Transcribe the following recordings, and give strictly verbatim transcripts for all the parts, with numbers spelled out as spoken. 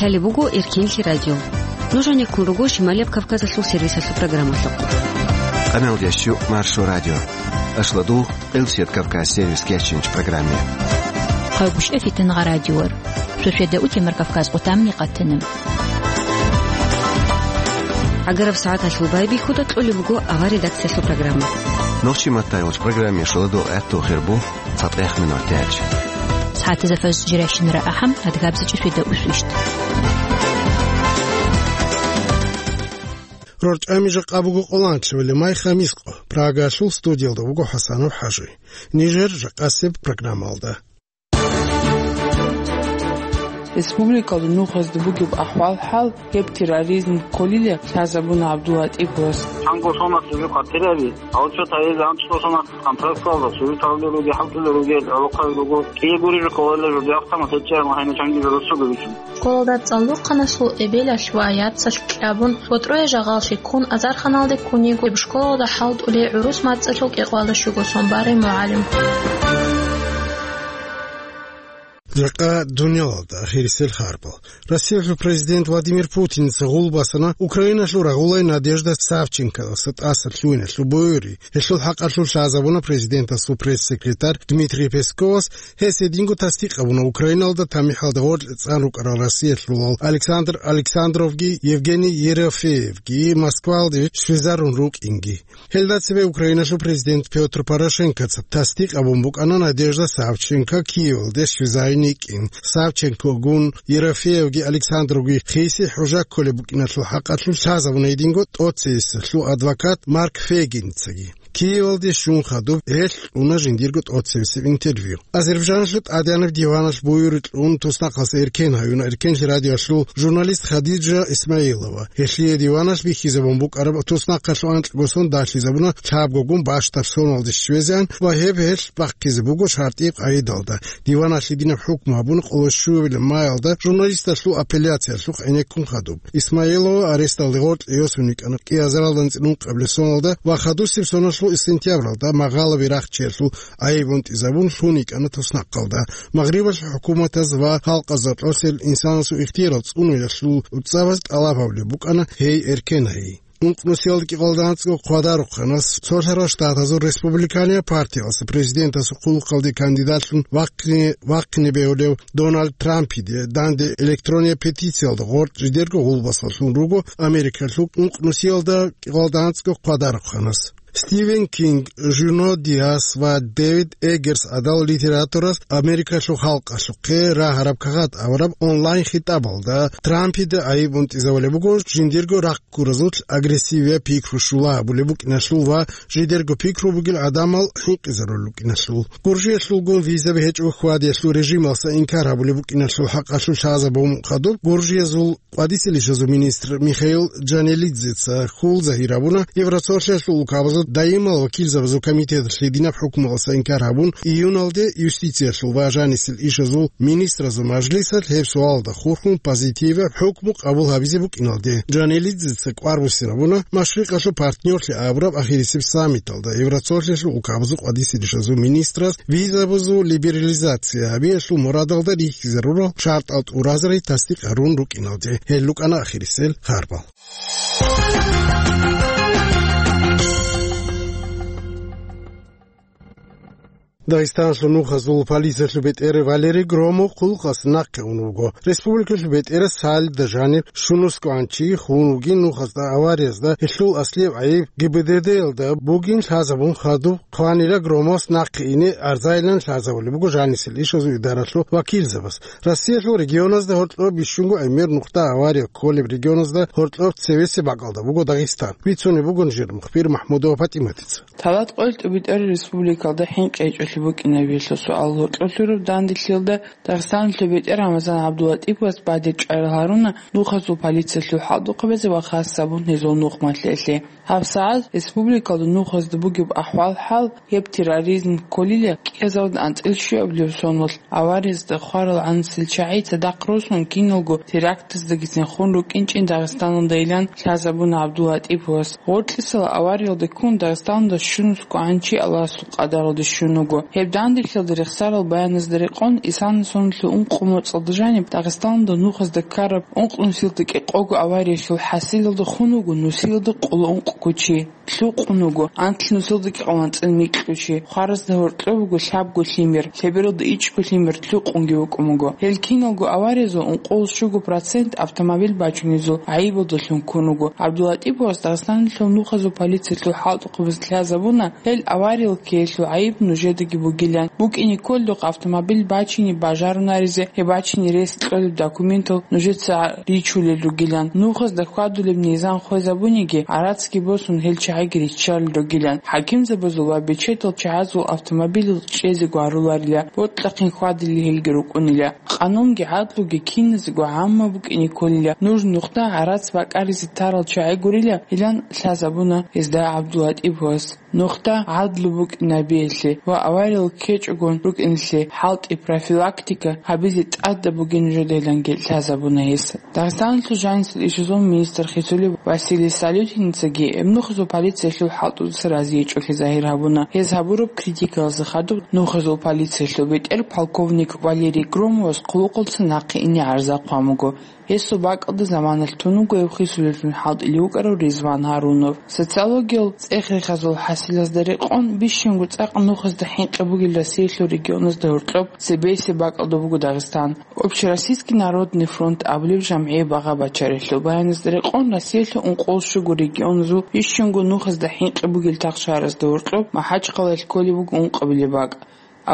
Лъалеб буго Эркенлъи радио. Нуж гьанеккун руго Шималияб Кавказалъул сервисалъул программалъухъ. Къаналдиящу Маршо радио. Ашладу Элсет Кавказ сервис кечинч программе. Хъайбушев Фитнагъа радиор. Шошеда утемар Кавказ къутамни къатана. Агараб сагӀаталъул байбихьуда кьолеб буго авар редакциялъул программа. Нохчи маттайгъуч программе шуладул гӀатту хирбу. ЦатӀех минут тяч. СагӀатазда фажр жиращинара ахӀам, адгабзичӀи фида усвищт. РорчӀами жакъа буго къоланчевали май хамискъо. Прагалъул студиялда вуго ХӀасанов ХӀажи. Нижер жакъасеб программалда. Республикалда нухазда бугеб ахӀвал-хӀал, гьеб терроризм кколила лъазабуна ГӀабдуллатӀиповас. Чанго соналъ жо хъатираби, а вот цо таиз анцӀго соналъ контракталда, сури тавле руги, хӀалтӀуле руги, гӀолохъаби руго, кӀие гури жо кколале жо диахъ тамас гьечӀеб, гьайна чанги жо руссуго вичун. Школалда цӀалулхъаналъул эбелалъ ва яцалъ кьабун, ва тӀоя жагъал щеккун, азарханалде ккун йиго школалда хӀалтӀулей гӀурус мацӀалъул кӀикъвалда щуго сон барай мугӀалим. Жакъа дуниялалда ахирисел харбал. Россиялъул президент Владимир Путинца гъул басана Украиналъул рагъулай Надежда Савченкодаса тӀаса лъугьиналъул буюри. Гьелъул хӀакъалъулъ лъазабуна президентасул пресс-секретарь Дмитрий Песковас, гьес гьединго тасдикъ гьабуна Украиналда тамихӀалда гъоркье цӀан рукӀарал Россиялъулал Александр Александровги Евгений Ерофеевги Москвалде щвезарун рукӀинги. Гьелда цебе Украиналъул президент Пётр Порошенкоца тасдикъ гьабун букӀана Надежда Савченко Киевалде щвезайин йикӀин. Савченкогун, Ерофеевги Александровги хиси хӀужа кколеб букӀиналъул хӀакъалъулъ лъазабуна гьединго тӀоцевесалъул адвокат Марк Фейгинцаги. Киевалде щун хадуб гьелъ кьуна жиндирго тӀоцевесеб интервью. Азербайджаналъул тӀадегӀанаб диваналъ буюри кьун туснахъалъ эркен гьаюна Эркенлъи радиоялъул журналист Хадижа Исмаилова. Гьелъие диваналъ бихьизабун букӀараб туснахъалъул анкьго сон далъизабуна лъабгогун бащдаб соналде щвезегӀан ва гьеб гьелъ бахъизе буго шартӀи къагӀидалда. Диваналъ гьединаб хӀукму гьабуна къоло щуабилеб маялда журналисталъул апелляциялъухъ гӀенеккун хадуб. Исмаилова аресталде гъоркье йосун йикӀана кӀиазаралда анцӀила ункъабилеб соналда ва хадусеб соналъул сентябралда магъалаби рахчиялъул гӀайиб унтӀизабун лъун йикӀана туснахъалда. Магърибалъул хӀукуматаз ва халкъазда кьосел инсанасул ихтиярал цӀунуялъул цӀабаз тӀалаб гьабулеб букӀана гьей эркен гьайи. Ункънусиялда кӀикъоялда анцӀго хъвадарухъанас Цолъарал Штатазул республиканияб партиялъа президентасул хъулухъалде кандидатлъун вахъине, вахъине бегьулев Дональд Трампиде данде электрониял петициялда гъоркь жидерго гъулбасалъун руго Америкалъул ункънусиялда кӀикъоялда анцӀго хъвадарухъанас. Стивен Кинг, Жуно Диас ва Дэвид Эггерс гӀадал литераторас Америкалъул халкъалъухъе рагьараб кагъат авараб онлайн-хитӀабалда Трампида гӀайиб унтӀизабулеб буго жиндирго рахъ гуразулъ агрессивия пикру щула абулеб букӀиналъул ва жидерго пикру бугел гӀадамал хӀинкъизарулел рукӀиналъул. Гуржиялъулгун визаби гьечӀого хьвадиялъул режималса инкар гьабулеб букӀиналъул хӀакъалъулъ лъазабун хадуб, Гуржиязул къвадисел ишазул министр Михаил Джанелидзеца хьул загьир гьабуна, Евросоюзалъул улкабазул даимал вакилзабазул комитеталъ гьединаб хӀукмуялса инкар гьабун, июналде юстициялъул ва жанисел ишазул министразул мажлисалъ гьеб суалда хурхун позитиваб хӀукму къабул гьабизе букӀиналде. Джанелидзеца кӀвар буссинабуна Машрикъалъул партнёрлъи абураб ахирисеб саммиталда Евросоюзалъул улкабазул къвадисел ишазул министраз визабазул либерализация гьабиялъул мурадалда рихьизарурал шартӀал тӀуразари тасдикъ гьарун рукӀиналде. Гьел рукӀана ахирисел харбал. Дагъистаналъул нухазул полициялъул бетӀер Валерий Громов хъулухъас нахъе ун вуго. Республикалъул бетӀерас гьалда жанир щунусго анчи хун вугин нухазда авариязда, гьелъул аслияб гӀайиб ГБДД-ялда бугин лъазабун хадуб хъванила Громовас нахъе ине арзайилан лъазабулеб буго жанисел ишазул идаралъул вакилзабаз. Россиялъул регионазда гьоркьоб бищунго гӀемер нухда авария кколеб регионазда гьоркьоб цевесеб бакӀалда буго Дагъистан. Бицунеб бугон жер мухбир МахӀмудова ПатӀиматица. Талат къоялъ тӀубитӀараб республикалда хӀинкъи гьечӀолъи букӀинабиялъул суал гьоркьолъураб данделъиялда Дагъистаналъул бетӀер Рамазан ГӀабдуллатӀиповас бадиб чӀарал гьаруна нухазул полициялъул хӀалтӀухъабазе ва хас гьабун гьезул нухмалъиялъе. ГьабсагӀат республикалда нухазда бугеб ахӀвал-хӀал Гьеб терроризм кколила кӀиазавда анцӀил щуабилеб соналъ авариязда хварал гӀанасел чагӀи цадахъ росун киналго терактаздагицин хун рукӀинчӀин Дагъистаналда илан лъазабуна ГӀабдуллатӀиповас. Гъоркьисала авариялда ккун Дагъистаналда щунусго гӀанчи Аллагьасул къадаралда щун вуго. Гьеб данделъиялда рехсарал баяназда рекъон, исана соналъул ункъо моцӀалда жаниб Дагъистаналда нухазда ккараб ункънусиялда кӀикъого авариялъул хӀасилалда хун вуго нусиялда къоло ункъго чи. Лъукъун вуго анлънусиялда кӀикъоялда анцӀила микьго чи, хваразда гьоркьоб буго лъабго лъимер, лъебералда ичӀго лъимер лъукъунги вукӀун вуго. Гьел киналго авариязул ункъоялда щуго процент автомобиль бачунезул гӀайибалдалъун ккун вуго. ГӀабдуллатӀиповас Дагъистаналъул нухазул полициялъул хӀалтӀухъабаз лъазабуна, гьел авариял ккеялъул гӀайиб нужедаги бугилан. БукӀине кколеб автомобиль бачине бажарунаризе, гьеб бачине рес кьолеб документал нужеца ричулел ругилан. Нухазда хьвадулеб низам хвезабуниги, гӀарацги босун, гьел чагӀиги риччалел ругилан. ХӀакимзабазул ва бечедал чагӀазул автомобиль чӀезе гваруларила, бокьахъин хьвадили гьелги рукӀунила. Къанунги гӀадлуги киназего гӀамма букӀине кколила. Нуж нухда гӀарац бакӀаризе тарал чагӀи гурила, илан лъазабуна гьезда ГӀабдуллатӀиповас. Нухда гӀадлу букӀинабиялъе ва авариял ккечӀогон рукӀиналъе хӀалтӀи профилактика гьабизе тӀадаб бугин нужеда иланги лъазабуна гьес. Дагъистаналъул жанисел ишазул министр хисулев Василий Салюхиницаги гьеб нухазул полициялъул хӀалтӀудаса разиячӀолъи загьир гьабуна. Гьез гьабураб критикаялъе хадуб нухазул полициялъул бетӀер полковник Валерий Громовас хъулухъалца нахъе ине гӀарза хъван буго. Гьесул бакӀалда заманалъ тун вуго гьев хисулеллъун хӀалтӀулев вукӀарав Ризван Гьарунов. Социологиял цӀех-рехазул хӀасилазда рекъон, бищунго цӀакъ нухазда хӀинкъи бугел Россиялъул регионазда гьоркьоб цебесеб бакӀалда буго Дагъистан. Общероссийский народный фронт абулеб жамгӀие багъа бачарелъул баяназда рекъон, Россиялъул ункъоялда щуго регионазул бищунго нухазда хӀинкъи бугел тахшаразда гьоркьоб МахӀачхъалаялъ кколеб буго ункъабилеб бакӀ.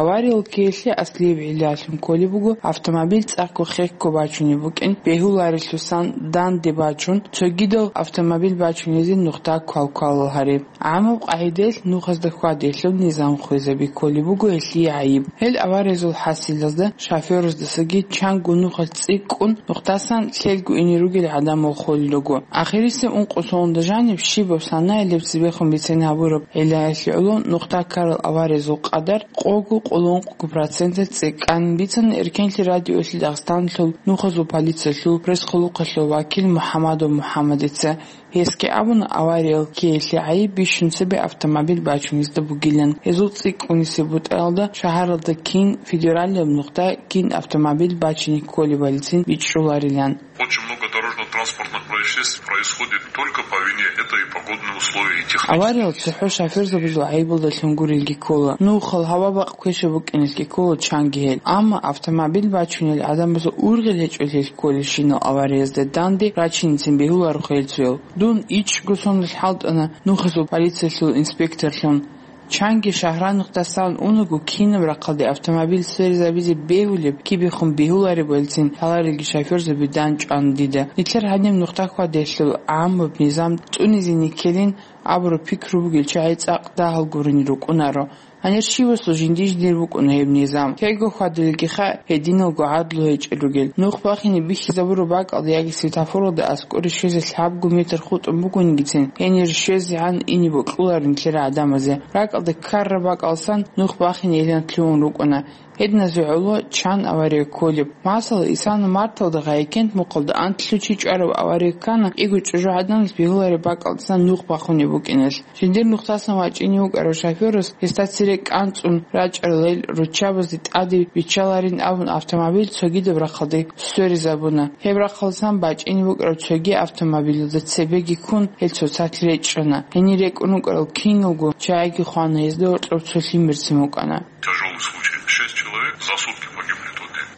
Авариял ккеялъе аслияб гӀиллалъун кколеб буго автомобиль цӀакъго хехго бачунеб букӀин, бегьуларелъусан данде бачун, цогидал автомобиль бачунезе нухда квалквалал гьариб. ГӀамаб къагӀидаялъ нухазда хьвадиялъул низам хвезаби кколеб буго гьелъие гӀайиб. Гьел авариязул хӀасилазда шофёраздасаги чанго нухалъ цӀикӀкӀун, нухдасан лъелго ине ругел гӀадамал холел руго. Ахирисеб ункъо соналда жаниб щибаб санаялъ цебехун бицен гьабураб гӀиллаялъе гӀоло нухда ккарал авариязул къадар къого-къоло ункъго проценталъ цӀикӀкӀанин бицана Эркенлъи радиоялъе Дагъистаналъул нухазул полициялъул пресс-хъулухъалъул вакил МухӀамадов МухӀамадица. Гьесги абуна, авариял ккеялъе гӀайиб бищун цебе автомобиль бачунезда бугилан. Гьезул цӀикӀкӀунисеб бутӀаялда шагьаралда кин, федералияб нухда кин автомобиль бачине кколебалицин бичӀчӀуларилан. Очень много дорожно-транспортных происшествий происходит только по вине, это и погодные условия, и технические. Авариял цохӀо шофёрзабазул гӀайибалдалъун гурелги ккола. Нухал гьава-бакъ квешаб букӀиналъги ккола чанги гьел. Амма автомобиль бачунел гӀадамазул ургъел гьечӀолъи кколелщинал авариязда данде рачиницин бегьулароха гьел цоял. Дун ичӀго соналъ хӀалтӀана нухазул полициялъул инспекторлъун. Чанги шагьранухъдасан унаго, кинаб рахъалде автомобиль сверизабизе бегьулеб кибехун бегьулареб валцин лъаларелги шофёрзаби дандчӀван дида. Нилъер гьаниб нухда хьвадиялъул гӀаммаб низам цӀунизеги ккелин абураб пикру бугел чагӀи цӀакъ дагьал гурони рукӀунаро. Гьанир щивасул жинди-жиндир букӀуна гьеб низам. Кего хьвадилелгиха гьединалго гӀадлу гьечӀел ругел. Нух бахине бихьизабураб бакӀалда яги светофоралда аскӀоре щвезе лъабго метр хутӀун бугонгицин, гьенир щвезегӀан ине бокьуларин нилъер гӀадамазе. РакӀалда ккараб бакӀалсан нух бахинейилан лъугьун рукӀуна. Гьединазул гӀоло чан авария кколеб? Масала, исана марталда Гъайикент мухъалда анлъго чи чӀвараб авария ккана, кӀиго чӀужугӀаданалъ бегьулареб бакӀалдасан нух бахунеб букӀиналъ. Жиндир нухдасан вачӀине вукӀарав шофёрас гьесда цере кӀанцӀун рачӀарал гьел руччабазде тӀаде биччаларин абун автомобиль цогидаб рахъалде сверизабуна. Гьеб рахъалдасан бачӀине букӀараб цоги автомобилалда цебеги ккун гьел цоцалъ речӀчӀана. Гьенир рекӀун рукӀарал киналго чагӀиги хвана, гьезда гьоркьоб цо лъимерцин букӀана. Тяжёлый случай. Шесть человек за сутки погибли в тот день.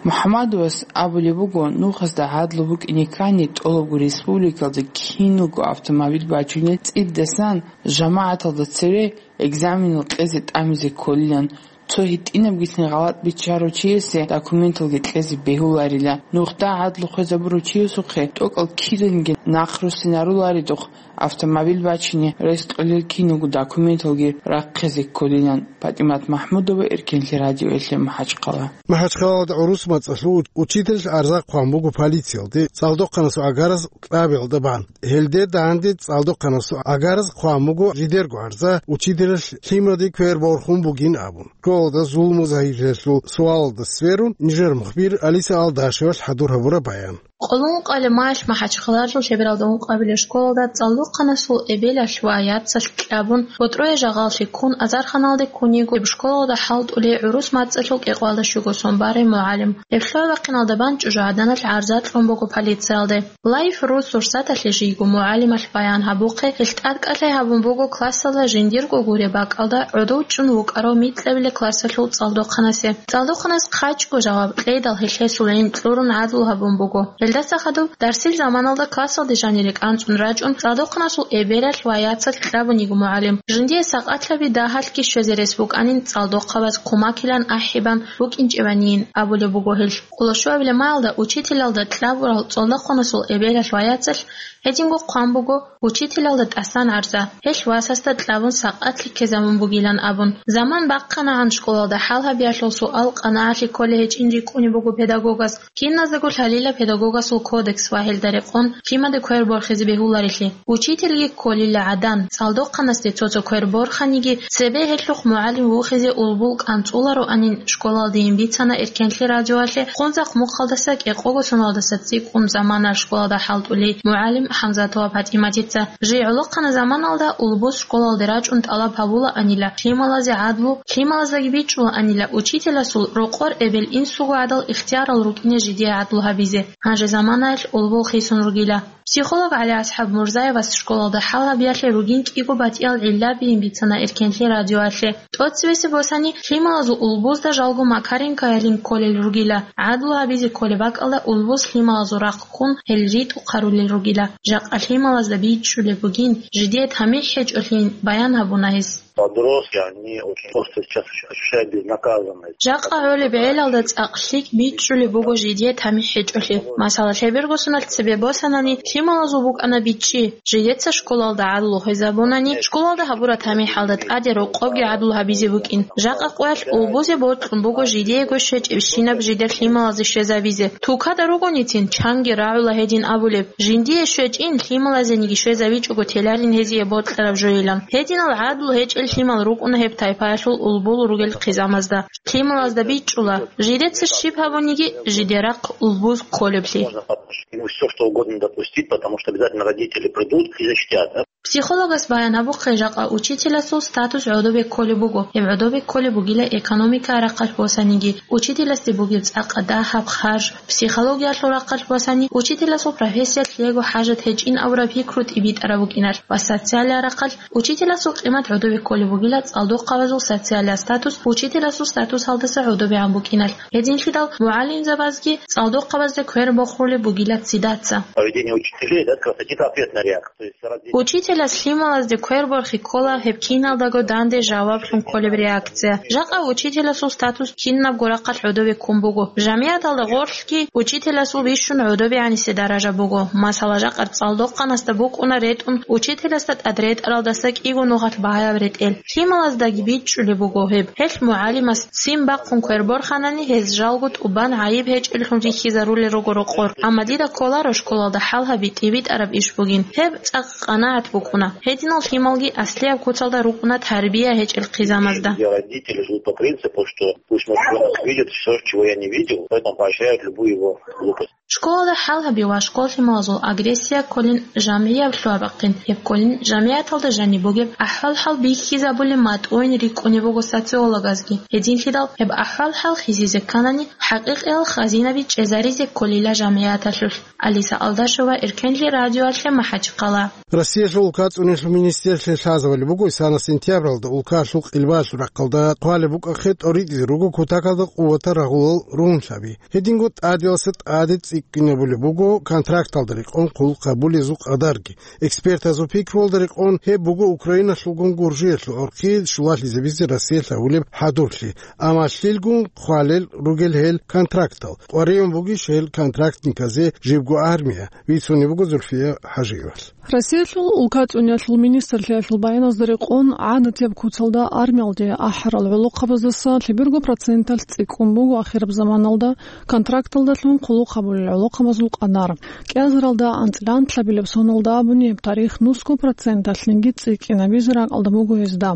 МухӀамадовас абулеб буго, нухазда гӀадлу букӀине ккани, тӀолабго республикалда киналго автомобиль бачунел цӀидасан жамагӀаталда цере экзаменал кьезе тӀамизе кколилан. Цо гьитӀинабгицин гъалатӀ биччарав чиясе документалги кьезе бегьуларила. Нухда гӀадлу хвезабурав чиясухъе тӀокӀал киранги нахъ руссинаруларидухъ автомобиль бачине рес кьолел киналго документалги рахъизе кколилан. ПатӀимат МахӀмудова, Эркенлъи радиоялъе МахӀачхъала. МахӀачхъалалда гӀурус мацӀалъул учитель гӀарза хъван буго полициялде цӀалдохъанасул агараз кьабиялда бан. Гьелде данде цӀалдохъанасул агараз хъван буго жидерго гӀарза учителалъ лъимаде квер борхун бугин абун. Школалда зулму загьирлъиялъул суалалда сверун, нижер мухбир Алиса Алдашевалъ хӀадур гьабураб баян. Къоло ункъоялда майалъ МахӀачхъалалъул Лъебералда ункъабилеб школалда цӀалдохъанасул эбелалъ ва яцалъ кьабун, ботӀрое жагъаллъи ккун, азарханалде ккун йиго гьеб школалда хӀалтӀулей гӀурус мацӀалъул кӀикъоялда щуго сон барай мугӀалим. Гьеб лъугӀа-бахъиналда бан чӀужугӀаданалъ гӀарза кьун буго полициялде. Лайф ру сурсаталъе жийго мугӀалималъ баян гьабухъе, гьелъ тӀадкӀалъи гьабун буго классалда жиндирго гуреб бакӀалда гӀодов чӀун вукӀарав микьабилеб классалъул цӀалдохъанасе. ЦӀалдохъанас хъачӀго жаваб кьейдал, гьелъ гьесул гӀин кьурун гӀадлу гьабун буго. Гьелдаса хадуб дарсил заманалда классалде жанире кӀанцӀун рачӀун, цӀалдохъанасул эбелалъ ва яцалъ кьабун йиго мугӀалим. Жиндие сакъатлъаби дагьалъги щвезе рес букӀанин, цӀалдохъабаз кумакилан ахӀи бан букӀинчӀебанийин, абулеб буго гьелъ. Къоло щуабилеб майалда учителалда кьабурал цӀалдохъанасул эбелалъ ва яцалъ гьединго хъван буго учителалда тӀасан гӀарза. Гьелъ васасда кьабун сакъатлъи ккезабун бугилан абун. Заман бахъанагӀан школалда хӀал гьабиялъул суал-къанагӀалъи кколей гьечӀин рикӀкӀунеб буго педагогас. Киназдаго лъалила педагогасул кодекс ва гьелда рекъон лъимаде квер борхизе бегьуларелъи. Учительги кколила гӀадан, цӀалдохъанасде цо-цо квер борханиги, цебе гьелъухъ мугӀалим вухизе улбул кӀанцӀулароанин школалдейин бицана Эркенлъи радиоялъе Хунзахъ мухъалдаса кӀикъого соналдаса цӀикӀкӀун замана школалда хӀалтӀулей мугӀалим ХӀамзатова ПатӀиматица. Жий гӀолохъана заманалда улбус школалде рачӀун тӀалаб гьабулаанила лъималазе гӀадлу, лъималаздаги бичӀчӀулаанила учителасул рокъор эбел-инсуго гӀадал ихтиярал рукӀине жидее гӀадлу гьабизе. Гьанже заманаялъ улбул хисун ругила. Психолог ГӀалиасхӀаб Мурзаевас школалда хӀал гьабиялъе ругин кӀиго батӀиял гӀиллабийин бицана Эркенлъи радиоялъе. ТӀоцебесеб босани лъималазул улбузда жалго Макаренкоялин кколел ругила. ГӀадлу гьабизе кколеб бакӀалда улбуз лъималазул рахъ ккун гьел ритӀухъ гьарулел ругила. Жакъа лъималазда бичӀчӀулеб бугин, жидее тамихӀ гьечӀолъин баян гьабуна гьес. Подростки, они очень остро сейчас ощущают безнаказанность. Жакъа гӀолеб гӀелалда цӀакъ лъикӀ бичӀчӀулеб буго жидее тамихӀ гьечӀолъи. Масала, лъеберго соналъ цебе босанани, лъималазул букӀана бичӀчӀи. Жидеца школалда гӀадлу гьезабунани, школалда гьабураб тамихӀалда тӀаде рокъобги гӀадлу гьабизе букӀин. Жакъа къоялъ улбузе бокьун буго жидеего щвечӀебщинаб жидер лъималазе щвезабизе. Тукада ругоницин, чанги рагӀула гьедин абулеб. Жиндие щвечӀин, лъималазениги щвезавичӀого теларин гьезие бокьараб жойилан. Гьединал гӀадлу гьечӀел лъимал рукӀуна гьеб тайпаялъул улбул ругел хъизамазда. Лъималазда бичӀчӀула, жидеца щиб гьабуниги, жидерахъ улбуз кколеблъи. Можно подумать, ему все что угодно допустить, потому что обязательно родители придут и защитят, да? Психологас баян гьабухъе, жакъа учителасул статус гӀодобе кколеб буго. Гьеб гӀодобе кколеб бугила экономикаялъ рахъалъ босаниги, учителасде бугеб цӀакъ дагьаб харж, психологиялъул рахъалъ босани, учителасул профессиялъ лъиего хӀажат гьечӀин абураб пикру тӀибитӀараб букӀиналъ ва социалияб рахъалъ учителасул къимат гӀодобе кколеб бугила цӀалдохъабазул социалияб статус учителасул статусалдаса гӀодобегӀан букӀиналъ. Гьединлъидал мугӀалимзабазги цӀалдохъабазда квер бохулеб бугила цидаса. Поведение учителей, да, как раз это ответная реакция. Учителас лъималазде квер борхи ккола гьеб киналдаго данде жаваблъун кколеб реакция. Жакъа учителасул статус кинабго рахъалъ гӀодове ккун буго. ЖамигӀаталда гъорлъги учителасул бищун гӀодобегӀанисе даража буго. Масала, жакъа цӀалдохъанасда букӀуна ретӀун учителасда тӀад ретӀаралдаса кӀиго нухалъ багьаяб ретӀел. Лъималаздаги бичӀчӀулеб буго гьеб. Гьелъ мугӀалимас ццин бахъун квер борханани, гьез жалго тӀубан гӀайиб гьечӀеллъун рихьизарулел руго рокъор. Амма дида кколаро школалда хӀал гьаби тӀибитӀараб иш бугин. Гьеб цӀакъ къанагӀат букӀуна. Гьединал лъималги аслияб куцалда рукӀуна тарбия гьечӀел хъизамазда. Родители живут по принципу, что пусть мой ребенок видит всё, чего я не видел, поэтому поощряют любую его глупость. Школалда хӀал гьаби ва школ лъималазул агрессия кколин жамгӀияб лъугьа-бахъин, гьеб кколин жамигӀаталда жаниб бугеб ахӀвал-хӀал бихьизабулеб матӀуйин рикӀкӀунеб буго социологазги. Гьединлъидал гьеб ахӀвал-хӀал хизизе кканани, хӀакъикъиял хазинаби чӀезаризе кколила жамигӀаталъулъ. Алиса Алдашева, Эркенлъи радиоялъе МахӀачхъала. Россиялъул улка цӀунилъул министрлъи лъазабулеб буго, исана сентябралда улкалъул къилбалъул рахъалда хъвалеб букӀахъе тӀоритӀизе руго кутакалда къуватал рагъулал ругьунлъаби. Гьединго тӀадиласа тӀаде цӀикӀкӀун Кинабулеб буго контракталда рекъон хъулухъ гьабулезул къадарги. Экспертазул пикруялда рекъон гьеб буго Украиналъулгун Гуржиялъул гӀурхъи щулалъизабизе Россиялъ гьабулеб хӀадурлъи. Амма лъилгун хъвалел ругел гьел контрактал? КъваригӀун бугищ гьел контрактниказе жибго армия? Бицунеб буго Зульфия ХӀажиевалъ. Россиялъул улкацӀунялъул министрлъиялъул баяназда рекъон, гӀадатияб куцалда армиялде ахӀарал гӀолохъабаздаса лъеберго проценталъ цӀикӀкӀун буго ахираб заманалда контракталдалъун хъулухъ гьабулел гӀолохъабазул къадар. КӀиазаралда анцӀила анкьабилеб соналда абуни гьеб тарих нусго проценталъниги цӀикӀкӀинабизе ракӀалда буго гьезда.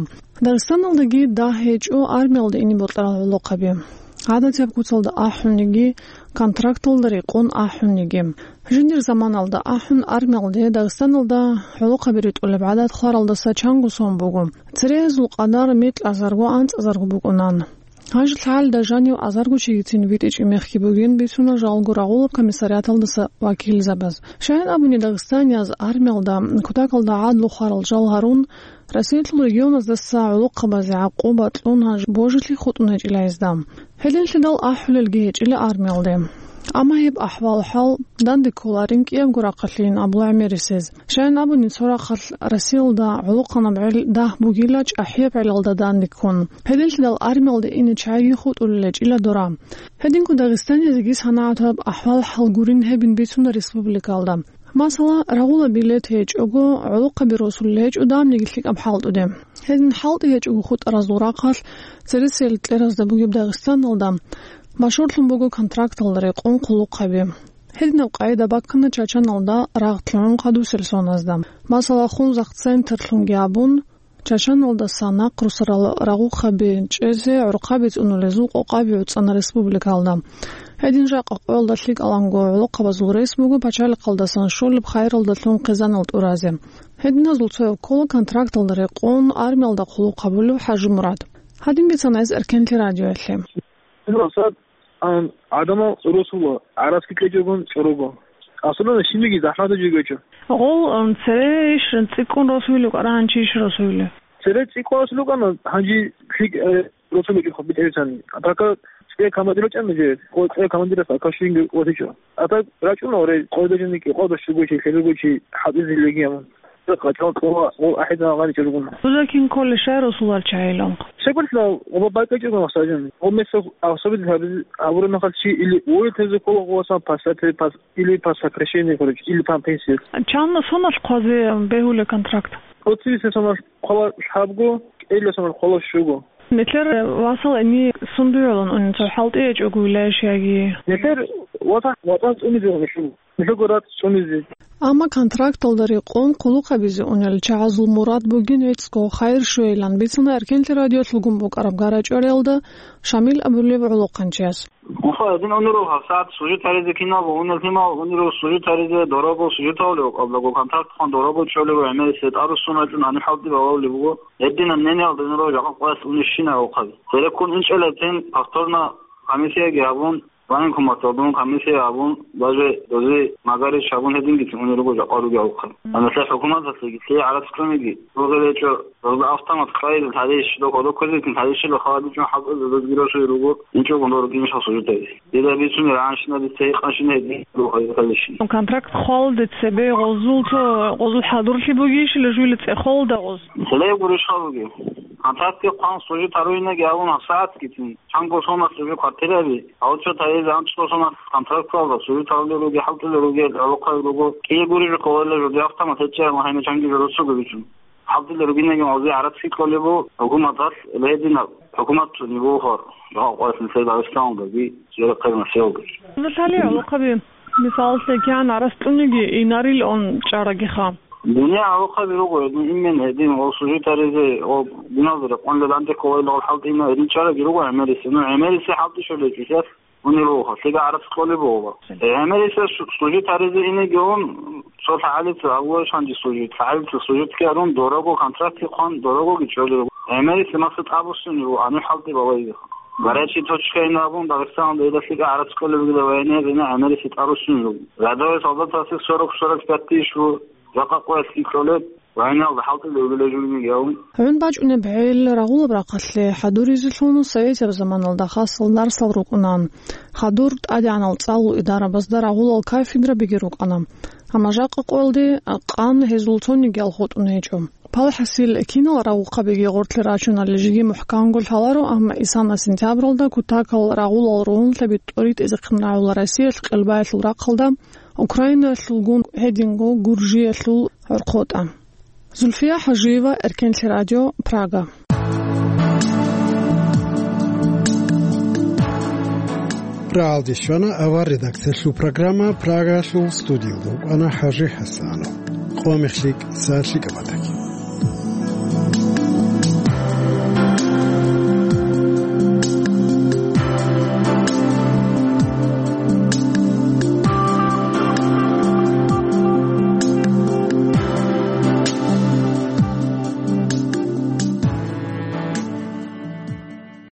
Дагъистаналдаги дагь гьечӀо армиялде ине бокьарал гӀолохъаби. ГӀадатияб куцалда ахӀунниги, контракталда рекъон ахӀунниги. Жиндир заманалда ахӀун армиялде Дагъистаналда гӀолохъаби ритӀулеб гӀадат хваралдаса чанго сон буго. Церегьазул къадар микьазарго, анцӀазарго букӀунан. Гьанже лъагӀалида жанив азарго чигицин витӀичӀеб мехги бугин, бицуна жалго рагъулаб комиссариаталдаса вакилзабаз. Щайин абуни, дагъистанияз армиялда кутакалда гӀадлу хварал жал гьарун, Россиялъул регионаздаса гӀолохъабазе гӀакъуба кьун гьанже божилъи хутӀун гьечӀила гьезда. Гьединлъидал ахӀулелги гьечӀила армиялде. Амма гьеб ахӀвал-хӀал данде кколарин кӀиябго рахъалъийин абула гӀемерисез. Щайин абуни, цо рахъалъ Россиялда гӀолохъанаб гӀел дагь бугила чӀахӀияб гӀелалда данде ккун. Гьединлъидал армиялде ине чагӀиги хутӀулел гьечӀила дора. Гьединго дагъистанизеги санагӀатаб ахӀвал-хӀал гурин гьебин бицуна республикалда. Масала, рагъула билет гьечӀого, гӀолохъаби росулел гьечӀо, дамниги лъикӀаб хӀалтӀуде. Гьедин хӀалтӀи гьечӀого хутӀаразул рахъалъ, цересел кьеразда бугеб Дагъистаналда машгьурлъун буго контракталда рекъон хъулухъаби. Гьединаб къагӀида баккана Чачаналда рагъ лъугӀун хадусел соназда. Масала, Хунзахъ центрлъунги абун, Чачаналдаса нахъ росарал рагъухъаби чӀезе гӀурхъаби цӀунулезул къокъаби гӀуцӀана республикалда. Гьедин жакъа къоялда лъикӀаланго гӀолохъабазул рес буго пачалихъалдасан щолеб хайралдалъун хъизанал тӀуразе. Гьединазул цояв ккола контракталда рекъон армиялда хъулухъ гьабулев ХӀажимурад. Гьадин бицана гьес Эркенлъи радиоялъе. Ан, гӀадамал росула, гӀарац кьечӀогун чӀорого. Асулана щибниги захӀматаб жо гьечӀо. Гъол, ан, цере иш цӀикӀкӀун росуйли кӀвара, гьанчи иш росуйли? Цере цӀикӀкӀун росулукъана, гьанжи лъикӀ, э, росуличӀо хъубитӀевицани. Атака цӀе командир вачӀана же, къо цӀе командирас ака щинги ватичӀо. Атак рачӀуна оре, къойда жиники, къода щугучи, хӀелугучи, хӀатӀизе легиямун. Къачал къола, къол ахӀидал гъаничӀо ругун. Дуза кин кколищ росулал чагӀилан? Щекъулъа, оба бакӀачӀого махсажин. О месо особенно гьабиз-, гьабураб мехалъ чи или уволить гьезе ккола гъовасан пасате пас-, или по сокращению, короче, или по пенсии. Чан соналъ хъвазе бегьула контракт? Оцибиса соналъ хъвала лъабго, кӀела соналъ хъвала щуго. Нилъер васал гьениб сундуе гӀолон унел, цо хӀалтӀи гьечӀого вилаеш яги? Нилъер ватан, ватан цӀунизе гьечӀо. Нилъего рацӀцӀунизе. Амма контракталда рекъон хъулухъ гьабизе унел чагӀазул мурад бугин гӀицӀго хайир щвейилан бицана Эркенлъи радиолъулгун букӀараб гарачӀвалиялда Шамил абулеб гӀолохъанчияс. Мухъа, гьедин унел гьабсагӀат служить гьаризе киналго унел лъимал, унел служить гьаризе дорого служить гьавулев, аблаго контракт хъван дорого чӀолев, гӀемерисел тӀарусун рачӀун гьаниб хӀалтӀи балагьулеб буго. Гьединаб мнениялда унел жакъа къоялъ унищина гӀолохъаби. Цереккун инчӀел гьеб тен повторно комиссияги гьабун, Военкоматалдун комиссия абун, даже дози магарич абун гьедингицин унел руго жакъа ругел гӀолохъаби. Гьанже хӀукуматалъеги, лъие гӀарац кьуниги, ругел гьечӀо, дозда автомат кьайил гьарищ, дохо-дохозикин гьарищила халадичӀун хӀалтӀизабазги росуе руго, инчӀогун дорогинищ хасужутазе. Дида бицунел гӀанщина, дица гьикъанщина гьедин руго гьарищ. Контракт хъвалде цебе гъозул цо, гъозул хӀадурлъи бугищила жуйла цӀехолда гъоз? Целей гурищ хабуги. Контрактги хъван служить гьаруинаги абун гьабсагӀатгицин. Чанго соналъ уже квартираби, а вот цо таризе анцӀго соналъ контракталда служить гьарулел ругел, хӀалтӀулел ругел, гӀолохъаби руго, кӀие гурищ кколила жуди автомат гьечӀеб, гьанив чанги жо росуго бицун. ХӀалтӀулел ругинеги гьезие гӀарац кьолеб буго, хӀукуматалъ гьединаб, хӀукумат цони бугоха, жакъа къоялъ нилъер Дагъистаналдаги, жера хъермасиялда. Лъали гӀолохъаби, мисалалъе, кигӀан гӀарац кьуниги, инарил он чӀарагиха. Дуне гӀолохъаби руго, гьедин именно, гьедин, гъол служить гьаризе, гъол диналда рекъон леланте кколайилан гъол хӀалтӀи ина гьедин чӀараги руго гӀемерисе. Ну, гьемерисе хӀалтӀи щолей чӀисас унел руго, лъига гӀарац кьолеб буго. ГӀемерисе су-, служить гьаризе инеги ун, цо лъагӀалица, Аллагьас гьанже служить, лъагӀалица служитги гьарун, дорого контракт хъван, дорогоги чӀолел руго. ГӀемерисе маса тӀабуссунел руго, гьанив хӀалтӀи балайилиха. Горячая точка ина абун, Дагъистаналда дида лъига гӀарац кьолеб бугила военноязина, гӀемерисе тӀаруссунел руго. Рядовой солдатасе сорок, сорок пять тысяч ву, жакъа къоялъ кьолеб. Вайналда хӀалтӀулев вилажулинигияв. ГӀун бачӀунеб гӀел рагъулаб рахъалъе хӀадуризелъун советияб заманалда хасал дарсал рукӀуна. Хадур тӀадегӀанал цӀалул идарабазда рагъулал кафедрабиги рукӀана. Амма жакъа къоялде къан гьезул цонигиял хутӀун гьечӀо. Палхасил кинал рагъухъабиги гъорлъе рачунали жиги мухӀканго лъаларо, амма исана сентябралда кутакал рагъулал ругьунлъаби тӀоритӀизехъин рагӀула Россиялъ къелбаялъул рахъалда, Украинаялъулгун гьединго Гуржиялъул гӀорхъотӀа. Зульфия Хажиева, Эркенлъи радио, Прага. Рагьалде щвана авар редакциялъул программа, Прагалъул студиялда вукӀана ХӀажи ХӀасанов. Къо мехлъи кӀиса лъикӀаб бата.